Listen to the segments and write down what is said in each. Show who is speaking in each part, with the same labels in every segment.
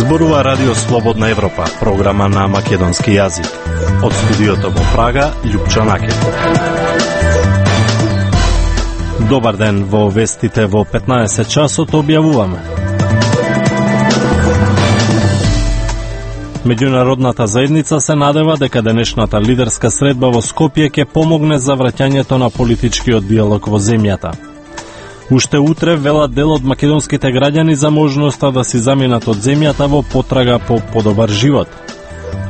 Speaker 1: Зборува Радио Слободна Европа, програма на македонски јазик. Од студиото во Прага, Љупчо Накев. Добар ден, во вестите во 15 часот објавуваме. Меѓународната заедница се надева дека денешната лидерска средба во Скопје ќе помогне за враќањето на политичкиот диалог во земјата. Уште утре велат дел од македонските граѓани за можноста да си заминат од земјата во потрага по подобар живот.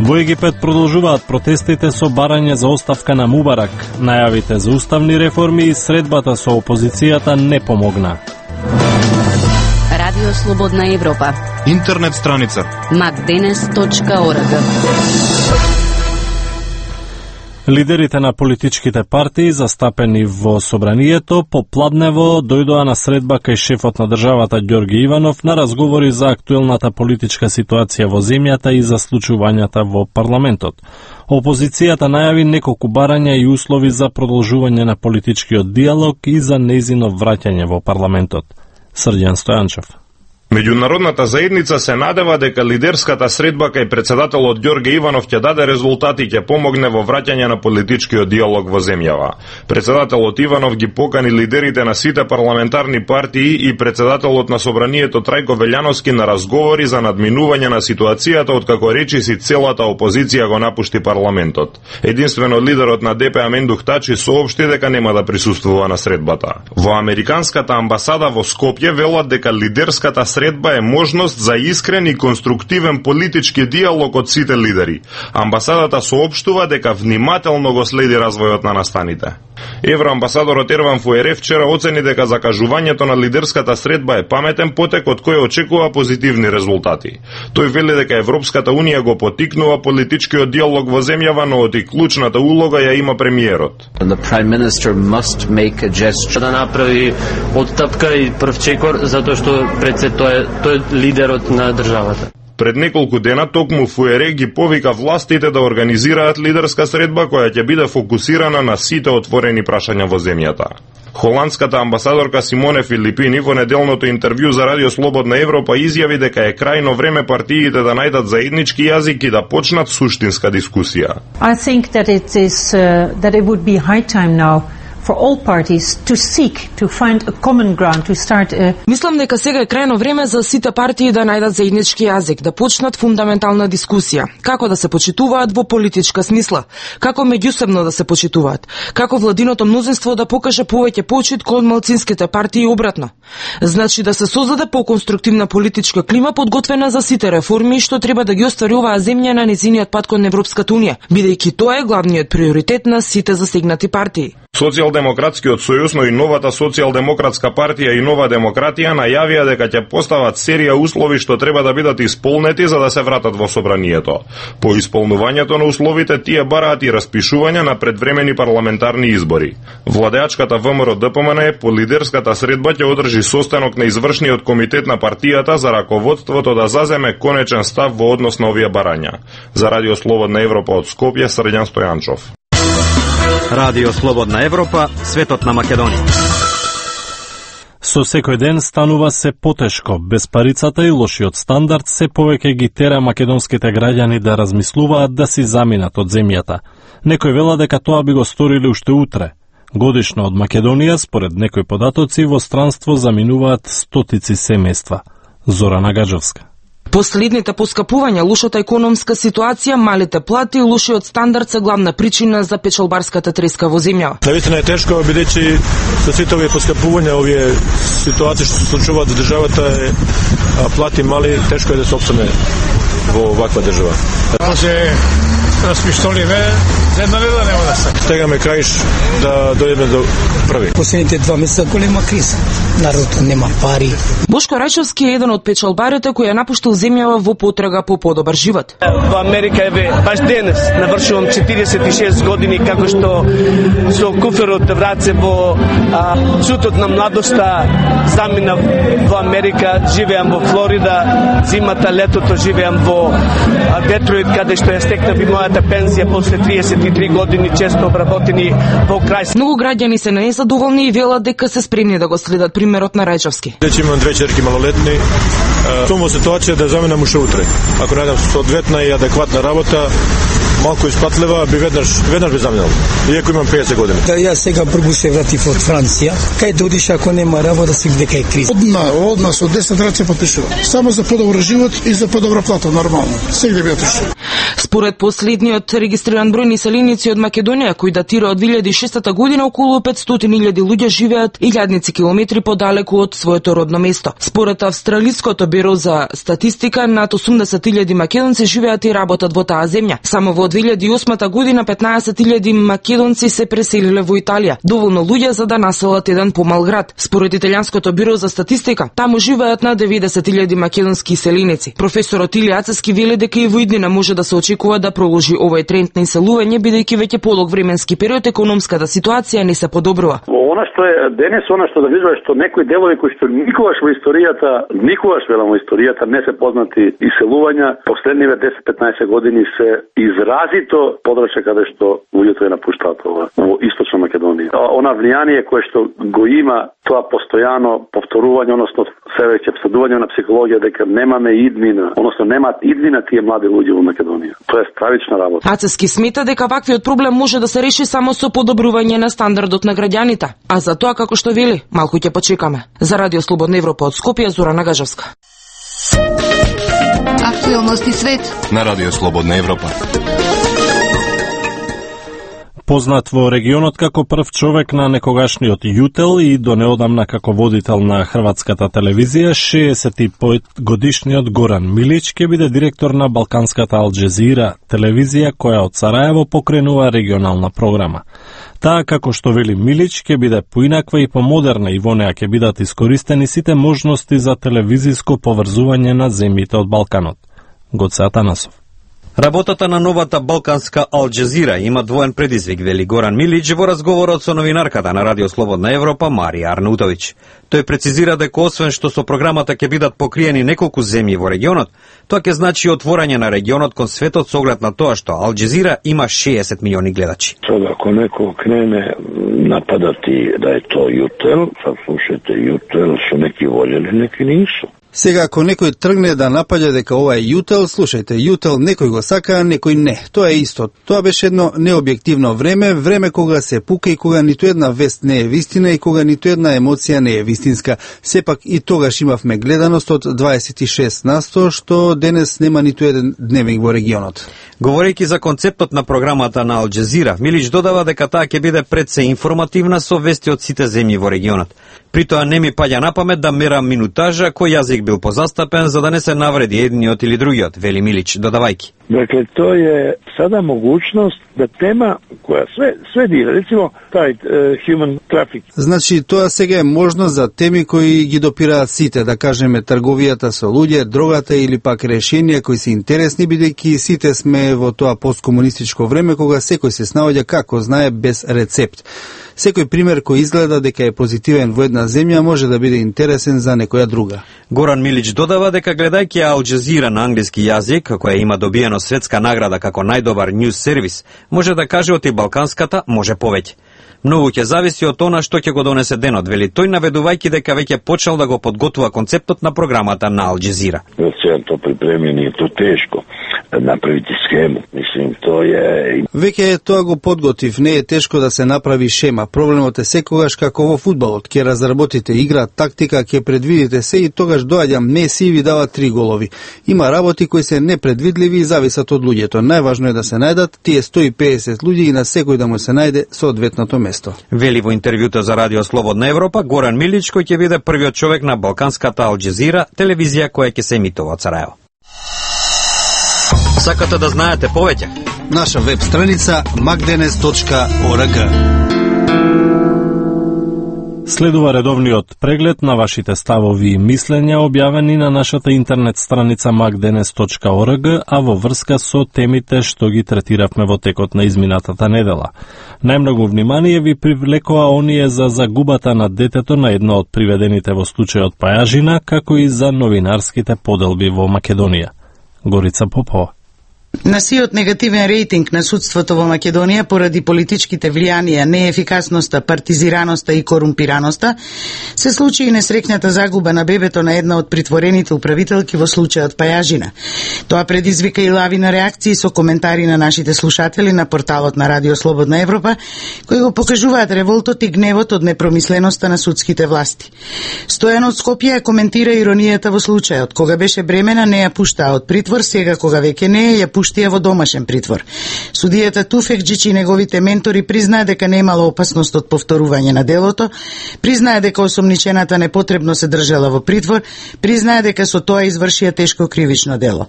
Speaker 1: Во Египет продолжуваат протестите со барање за оставка на Мубарак. Најавите за уставни реформи и средбата со опозицијата не помогна.
Speaker 2: Радио Слободна Европа.
Speaker 3: Интернет страница
Speaker 2: macdenes.org.
Speaker 1: Лидерите на политичките партии застапени во собранието попладнево дојдоа на средба кај шефот на државата Ѓорги Иванов на разговори за актуелната политичка ситуација во земјата и за случувањата во парламентот. Опозицијата најави неколку барања и услови за продолжување на политичкиот диалог и за нејзино враќање во парламентот. Срđan Стојанчев.
Speaker 3: Меѓународната заедница се надева дека лидерската средба кај председателот Ѓорге Иванов ќе даде резултати и ќе помогне во враќање на политичкиот диалог во земјава. Председателот Иванов ги покани лидерите на сите парламентарни партии и председателот на собранието Трајко Велјановски на разговори за надминување на ситуацијата откако речиси целата опозиција го напушти парламентот. Единствено лидерот на ДП Амендух Тачи соопшти дека нема да присуствува на средбата. Во американската амбасада во Скопје велат дека лидерската средба е можност за искрен и конструктивен политички диалог од сите лидери. Амбасадата соопштува дека внимателно го следи развојот на настаните. Евроамбасадорот Ерван Фуере вчера оцени дека закажувањето на лидерската средба е паметен потек од кој очекува позитивни резултати. Тој вели дека Европската унија го поттикнува политичкиот диалог во земјава, но од и клучната улога ја има премиерот.
Speaker 4: The Prime Minister must make a gesture. Да направи отстапка и прв чекор затоа што пред се тој е лидерот на државата.
Speaker 3: Пред неколку дена токму Фуере ги повика властите да организираат лидерска средба која ќе биде фокусирана на сите отворени прашања во земјата. Холандската амбасадорка Симоне Филипини во неделното интервју за Радио Слободна Европа изјави дека е крајно време партиите да најдат заеднички јазик и да почнат суштинска дискусија.
Speaker 5: I think that that it would be high time now for all parties to seek to find a common ground to start
Speaker 6: Мислам дека сега е крајно време за сите партии да најдат заеднички јазик, да почнат фундаментална дискусија. Како да се почитуваат во политичка смисла, како меѓусебно да се почитуваат, како владиното мнозинство да покаже повеќе почит кон малцинските партии и обратно. Значи да се создаде поконструктивна политичка клима подготвена за сите реформи што треба да ги оствари оваа земја на нејзиниот пат кон Европската унија, бидејќи тоа е главниот приоритет на сите засегнати партии.
Speaker 3: Социјалдемократскиот сојуз, но и новата социјалдемократска партија и Нова демократија најавија дека ќе постават серија услови што треба да бидат исполнети за да се вратат во собранието. По исполнувањето на условите тие бараат и распишување на предвремени парламентарни избори. Владеачката ВМРО ДПМН по лидерската средба ќе одржи состанок на извршниот комитет на партијата за раководството да заземе конечен став во однос на овие барања. За Радио Слободна Европа од Скопје, Срđan Стојанчов.
Speaker 7: Радио Слободна Европа, светот на Македонија.
Speaker 1: Со секој ден станува се потешко. Безпарицата и лошиот стандард се повеќе ги тера македонските граѓани да размислуваат да си заминат од земјата. Некој вела дека тоа би го сторили уште утре. Годишно од Македонија, според некои податоци, во странство заминуваат стотици семејства. Зора Нагаджовска.
Speaker 6: Последните поскапувања, лошата економска ситуација, малите плати и лошиот стандард се главна причина за печалбарската треска во земја.
Speaker 8: Навистина е тешко, бидејќи со сите овие поскапувања, овие ситуации што се случуваат во државата, плати мали, тешко е да се опстане во ваква држава.
Speaker 9: Може распиштоливе, за една неделя нема да се.
Speaker 8: Стегаме краиш да дојдеме до први.
Speaker 10: Последните 2 месеца голема криза. Народот нема пари.
Speaker 6: Бошко Рајчовски е еден од печалбарите кој ја напуштил земјава во потрага по подобар живот.
Speaker 11: Во Америка еве баш денес навршувам 46 години како што со куферот враце во цутот на младоста заминав во Америка, живеам во Флорида, зимата, летото живеам во Детройт, каде што ја стекнав и мојата својата пензија после 33 години често обработени во крај.
Speaker 6: Многу граѓани се незадоволни и велат дека се спремни да го следат примерот на Рајчовски.
Speaker 8: Вече имам две черки малолетни. Сум во ситуација да заменам уште утре. Ако најдам соодветна и адекватна работа, малку испатлива, би веднаш би заменал. Иако имам 50 години.
Speaker 10: Да, јас сега прво се вратив од Франција. Кај да одиш ако нема работа, си дека е криза.
Speaker 12: Одма со 10 раце потпишува. Само за подобар живот и за подобра плата, нормално. Сегде би отишол.
Speaker 6: Според последниот регистриран број населеници од Македонија, кој датира од 2006 година, околу 500.000 луѓе живеат илјадници километри подалеку од своето родно место. Според Австралиското биро за статистика, над 80.000 македонци живеат и работат во таа земја. Само во 2008 година 15.000 македонци се преселиле во Италија, доволно луѓе за да населат еден помал град. Според Италијанското биро за статистика, таму живеат на 90.000 македонски иселеници. Професорот Илија Ацевски вели дека и во иднина може да се очекува да продолжи овој тренд на иселување, бидејќи веќе подолг временски период економската ситуација не се подобрува.
Speaker 13: Она што е денес, она што да видува е што некои делови кои што никогаш во историјата не се познати иселувања, последниве 10-15 години се изразито подрачја каде што луѓето ја напуштаат во источна Македонија. Она влијание кое што го има тоа постојано повторување, односно се веќе всадување на психологија дека немаме иднина, односно немаат иднина тие млади луѓе во Македонија. Тоа е стравична работа.
Speaker 6: Ацевски смета дека ваквиот проблем може да се реши само со подобрување на стандардот на граѓаните, а за тоа како што вели, малку ќе почекаме. За Радио Слободна Европа од Скопје, Зорана Гажевска.
Speaker 2: Актуелности свет
Speaker 14: на Радио Слободна Европа.
Speaker 1: Познат во регионот како прв човек на некогашниот ЮТЕЛ и до неодамна како водител на хрватската телевизија, 65-годишниот Горан Милич ќе биде директор на балканската Ал Джезира, телевизија која од Сараево покренува регионална програма. Таа, како што вели Милич, ќе биде поинаква и помодерна и во неа ќе бидат искористени сите можности за телевизиско поврзување на земјите од Балканот. Гоце Атанасов.
Speaker 7: Работата на новата балканска Ал Джезира има двоен предизвик, вели Горан Милич во разговорот со новинарката на Радио Слободна Европа Марија Арнаутовиќ. Тој прецизира дека освен што со програмата ќе бидат покриени неколку земји во регионот, тоа ќе значи отворање на регионот кон светот со оглед на тоа што Ал Джезира има 60 милиони гледачи.
Speaker 15: Сега ако некој крене нападати да е тоа ЮТЕЛ, слушате ЮТЕЛ со неки волели, неки нису.
Speaker 16: Сега, ако некој тргне да напаѓа дека ова е ЮТЕЛ, слушајте, ЮТЕЛ некој го сака, некој не. Тоа е исто. Тоа беше едно необјективно време кога се пука и кога ниту една вест не е вистина и кога ниту една емоција не е вистинска. Сепак и тогаш имавме гледаност од 26%, што денес нема ниту еден дневник во регионот.
Speaker 7: Говорејќи за концептот на програмата на Ал Джезира, Милич додава дека таа ќе биде пред се информативна со вести од сите земји во регионот. При тоа не ми паѓа на памет да мерам минутажа кој јазик бил позастапен за да не се навреди едниот или другиот, вели Милич, додавајќи.
Speaker 15: Dakle, to je sada mogućnost da tema koja sve dira, recimo taj human traffic.
Speaker 16: Значи, тоа сега е можност за теми кои ги допираат сите, да кажеме трговијата со луѓе, дрогата или пак решенија кои се интересни, бидејќи сите сме во тоа посткомунистичко време кога секој се снаоѓа како знае без рецепт. Секој пример кој изгледа дека е позитивен во една земја може да биде интересен за некоја друга.
Speaker 7: Горан Милич додава дека гледајќи Ал Джезира на англиски јазик, која има добиено светска награда како најдобар ньюс сервис, може да каже од и балканската може повеќе. Многу ќе зависи од она што ќе го донесе денот, вели тој, наведувајќи дека веќе почел да го подготвува концептот на програмата на Ал Джезира.
Speaker 15: Сега то припремјено е то тешко направите схему. Мислим, тоа е...
Speaker 16: Веќе тоа го подготвив, не е тешко да се направи шема. Проблемот е секогаш како во фудбалот. Ќе разработите игра, тактика, ќе предвидите се и тогаш доаѓа Меси и ви дава 3 голови. Има работи кои се непредвидливи и зависат од луѓето. Најважно е да се најдат тие 150 луѓе и на секој да му се најде соодветното место.
Speaker 7: Вели во интервјуто за Радио Слободна Европа Горан Милич, кој ќе биде првиот човек на балканската Ал Джезира, телевизија која ќе се емитува од Сараево. Сакате да знаете повеќе?
Speaker 16: Наша веб страница magdenes.org.
Speaker 1: Следува редовниот преглед на вашите ставови и мислења објавени на нашата интернет страница magdenes.org, а во врска со темите што ги третиравме во текот на изминатата недела. Најмногу внимание ви привлекоа оние за загубата на детето на едно од приведените во случајот Пајажина, како и за новинарските поделби во Македонија. Горица Попова.
Speaker 14: На сиот негативен рейтинг на судството во Македонија поради политичките влијанија, неефикасноста, партизираноста и корумпираноста, се случи и несреќната загуба на бебето на една од притворените управителки во случајот Пајажина. Тоа предизвика и лавина реакции со коментари на нашите слушатели на порталот на Радио Слободна Европа, кои го покажуваат револтот и гневот од непромисленоста на судските власти. Стојан од Скопје коментира иронијата во случајот. Кога беше бремена, не ја пуштаа од притвор, сега кога веќе не е, ја пуштија во домашен притвор. Судијата Туфекџич и неговите ментори признаа дека немало опасност од повторување на делото, признаа дека осомничената непотребно се држала во притвор, признаа дека со тоа извршија тешко кривично дело.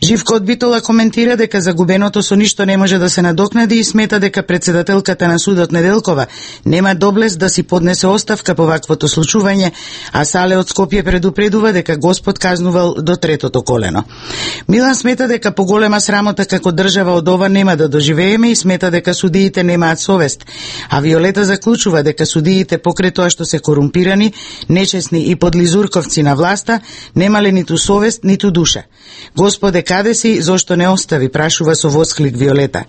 Speaker 14: Живко од Битола коментира дека загубеното со ништо не може да се надокнади и смета дека председателката на судот Неделкова нема доблест да си поднесе оставка по ваквото случување, а Сале од Скопје предупредува дека Господ казнувал до третото колено. Милан смета дека поголема срамота како држава од ова нема да доживееме и смета дека судиите немаат совест, а Виолета заклучува дека судиите покрај тоа што се корумпирани, нечесни и подлизурковци на власта, немале ниту совест, ниту душа. Господе, каде си, зошто не остави, прашува со восклик Виолета.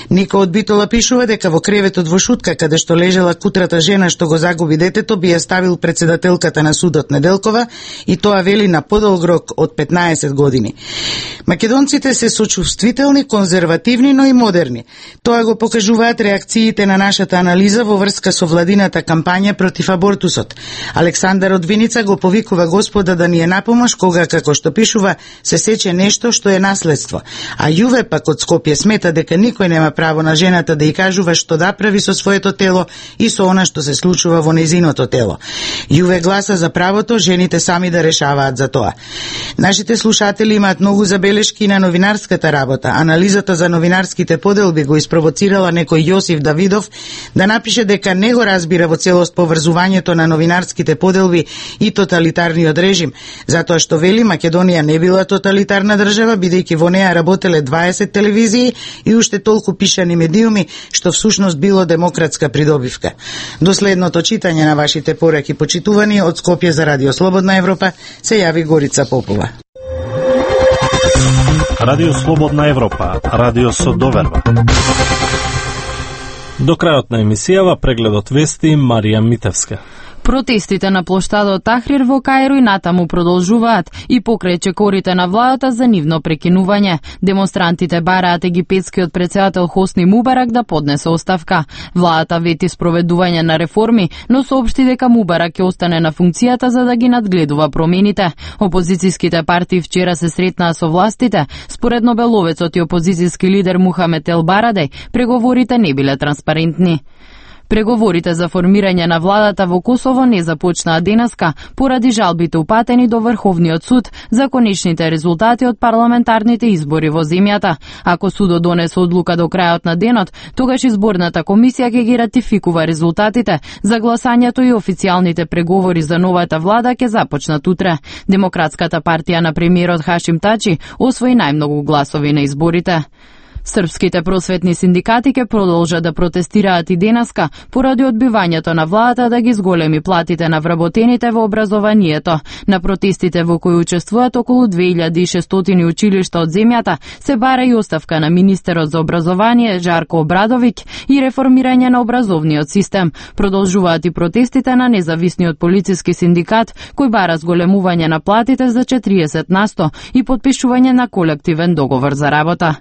Speaker 14: Нико од Битола пишува дека во креветот во Шутка, каде што лежела кутрата жена што го загуби детето, би ја ставил председателката на судот Неделкова и тоа вели на подолг рок од 15 години. Македонците се сочувствителни, конзервативни, но и модерни. Тоа го покажуваат реакциите на нашата анализа во врска со владината кампања против абортусот. Александар од Виница го повикува Господа да ни е напомош кога, како што пишува, се сече нешто што е наследство. А Јуве пак од Скопје смета дека никој нема право на жената да ја кажува што да прави со своето тело и со она што се случува во незиното тело. Јуве гласа за правото жените сами да решаваат за тоа. Нашите слушатели имаат многу забелешки на новинарската работа. Анализата за новинарските поделби го испровоцирала некој Јосиф Давидов да напише дека не го разбира во целост поврзувањето на новинарските поделби и тоталитарниот режим, затоа што вели Македонија не била тоталитарна држава, бидејќи во неа работеле 20 телевизии и уште толку пишани медиуми, што всушност било демократска придобивка. До следното читање на вашите пораки, почитувани, од Скопје за Радио Слободна Европа се јави Горица Попова.
Speaker 1: Радио Слободна Европа, радио со доверба. До крајот на емисијава прегледот вести Марија Митевска.
Speaker 17: Протестите на плоштадот Тахрир во Каиро и натаму продолжуваат и покрај чекорите на владата за нивно прекинување. Демонстрантите бараат египетскиот председател Хосни Мубарак да поднесе оставка. Владата вети спроведување на реформи, но соопшти дека Мубарак ќе остане на функцијата за да ги надгледува промените. Опозицијските партии вчера се сретнаа со властите. Според нобеловецот и опозицијски лидер Мухамед Ел Барадеј, преговорите не биле транспарентни. Преговорите за формирање на владата во Косово не започнаа денеска поради жалбите упатени до Врховниот суд за конечните резултати од парламентарните избори во земјата. Ако судот донесе одлука до крајот на денот, тогаш изборната комисија ќе ги ратификува резултатите за гласањето и официјалните преговори за новата влада ќе започнат утре. Демократската партија на премиерот Хашим Тачи освои најмногу гласови на изборите. Српските просветни синдикати ќе продолжат да протестираат и денеска поради одбивањето на владата да ги зголеми платите на вработените во образованието. На протестите во кои учествуваат околу 2600 училишта од земјата се бара и оставка на министерот за образование Жарко Обрадовиќ и реформирање на образовниот систем. Продолжуваат и протестите на независниот полициски синдикат кој бара зголемување на платите за 40% и подпишување на колективен договор за работа.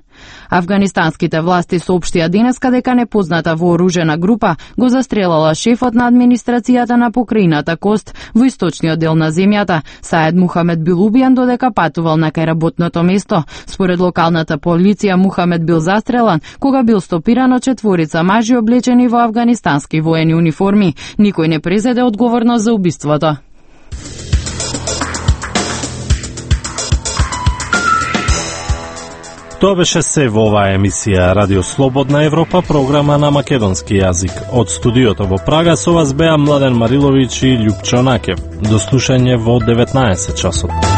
Speaker 17: Афганистанските власти соопштија денеска дека непозната вооружена група го застрелала шефот на администрацијата на покрајината Кост во источниот дел на земјата. Саед Мухамед бил убиен додека патувал на кај работното место. Според локалната полиција Мухамед бил застрелан кога бил стопиран од четворица мажи облечени во афганистански воени униформи. Никој не презеде одговорност за убиството.
Speaker 1: Тоа беше се во оваа емисија Радио Слободна Европа, програма на македонски јазик. Од студиото во Прага со вас беа Младен Мариловиќ и Љупчо Накев. До слушање во 19 часот.